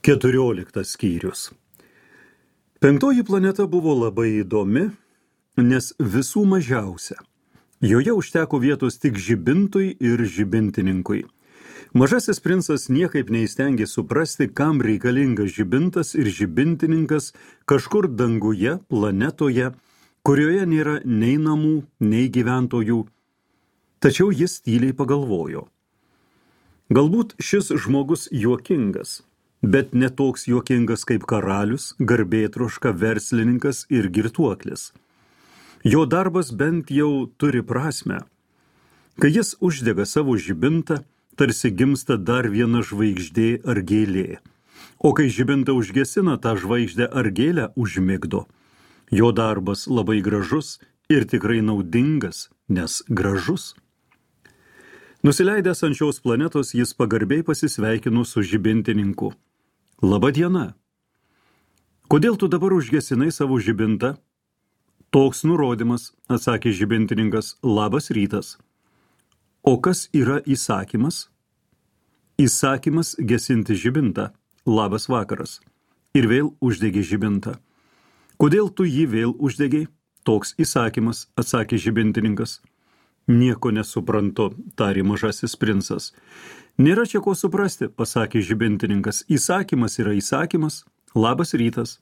14 skyrius. 5 planeta buvo labai įdomi, nes visų mažiausia. Joje užteko vietos tik žibintui ir žibintininkui. Mažasis princas niekaip neįstengė suprasti, kam reikalingas žibintas ir žibintininkas kažkur danguje, planetoje, kurioje nėra nei namų, nei gyventojų. Tačiau jis tyliai pagalvojo. Galbūt šis žmogus juokingas, bet ne toks juokingas kaip karalius, garbėtroška, verslininkas ir girtuoklis. Jo darbas bent jau turi prasmę. Kai jis uždega savo žibintą, tarsi gimsta dar viena žvaigždė ar gėlė. O kai žibintą užgesina, tą žvaigždę ar gėlę užmigdo. Jo darbas labai gražus ir tikrai naudingas, nes gražus. Nusileidęs ant šios planetos, jis pagarbiai pasisveikino su žibintininku. Labą dieną. Kodėl tu dabar užgesinai savo žibintą? Toks nurodymas, atsakė žibintininkas, labas rytas. O kas yra įsakymas? Įsakymas gesinti žibintą, labas vakaras. Ir vėl uždegė žibintą. Kodėl tu jį vėl uždegiai? Toks įsakymas, atsakė žibintininkas. Nieko nesuprantu, tarė mažasis princas. Nėra čia ko suprasti, pasakė žibintininkas. Įsakymas yra įsakymas, labas rytas.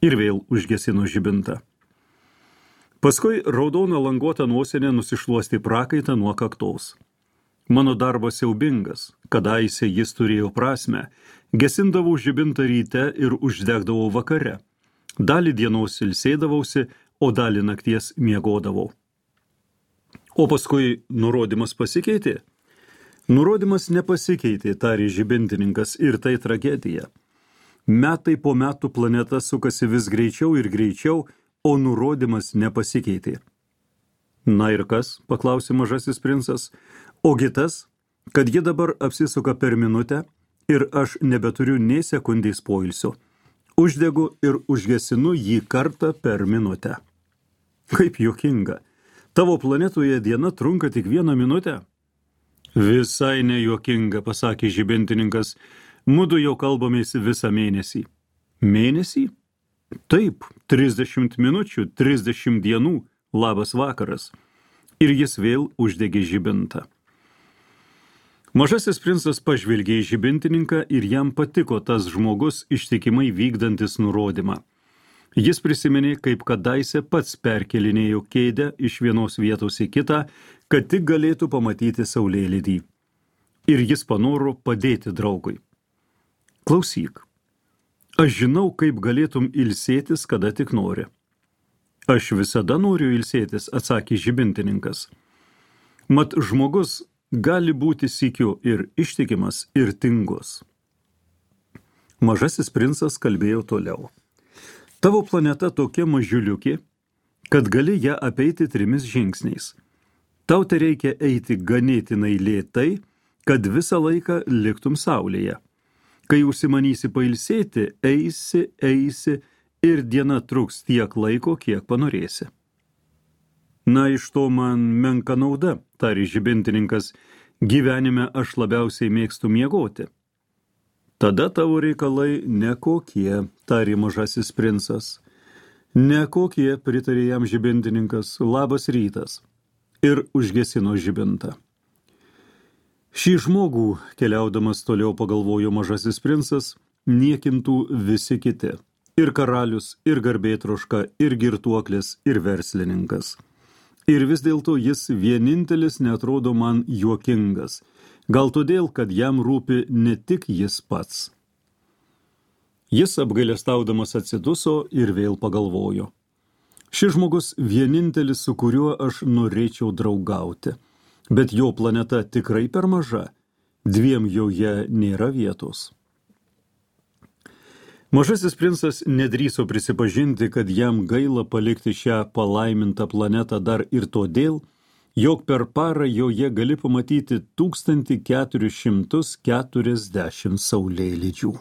Ir vėl užgesino žibintą. Paskui raudona languota nosinė nusišluostė prakaitą nuo kaktos. Mano darbas siaubingas, kadaise jis turėjo prasmę. Gesindavau žibintą ryte ir uždegdavau vakare. Dalį dienos ilsėdavausi, o dalį nakties miegodavau. O paskui nurodymas pasikeitė? Nurodymas nepasikeitė, tarė žibintininkas, ir tai tragedija. Metai po metų planeta sukasi vis greičiau ir greičiau, o nurodymas nepasikeitė. Na ir kas, paklausė mažasis princas, ogi tas, kad ji dabar apsisuka per minutę ir aš nebeturiu nei sekundės poilsio. Uždegu ir užgesinu jį kartą per minutę. Kaip juokinga. Tavo planetoje diena trunka tik 1 minutę? Visai nejuokinga, pasakė žibintininkas. Mudu jau kalbamės visą mėnesį. Mėnesį? Taip, 30 minučių, 30 dienų, labas vakaras. Ir jis vėl uždegė žibintą. Mažasis princas pažvelgė į žibintininką ir jam patiko tas žmogus ištikimai vykdantis nurodymą. Jis prisiminė, kaip kadaise pats perkelinėjo kėdę iš vienos vietos į kitą, kad tik galėtų pamatyti saulėlydį. Ir jis panoro padėti draugui. Klausyk, aš žinau, kaip galėtum ilsėtis, kada tik nori. Aš visada noriu ilsėtis, atsakė žibintininkas. Mat žmogus gali būti sykiu ir ištikimas, ir tingus. Mažasis princas kalbėjo toliau. Tavo planeta tokia mažiuliukė, kad gali ją apeiti 3 žingsniais. Tau tai reikia eiti ganėtinai lėtai, kad visą laiką liktum saulėje. Kai užsimanysi pailsėti, eisi ir diena truks tiek laiko, kiek panorėsi. Na, iš to man menka nauda, tarė žibintininkas, gyvenime aš labiausiai mėgstu miegoti. Tada tavo reikalai nekokie, tarė mažasis princas. Nekokie, pritarė jam žibintininkas, labas rytas. Ir užgesino žibintą. Šį žmogų, keliaudamas toliau pagalvojo mažasis princas, niekintų visi kiti. Ir karalius, ir garbėtroška, ir girtuoklis, ir verslininkas. Ir vis dėlto jis vienintelis neatrodo man juokingas. Gal todėl, kad jam rūpi ne tik jis pats. Jis apgailestaudamas atsiduso ir vėl pagalvojo. Šis žmogus vienintelis, su kuriuo aš norėčiau draugauti. Bet jo planeta tikrai per maža. 2 joje nėra vietos. Mažasis princas nedrįso prisipažinti, kad jam gaila palikti šią palaimintą planetą dar ir todėl, jog per parą joje gali pamatyti 1440 saulėlydžių.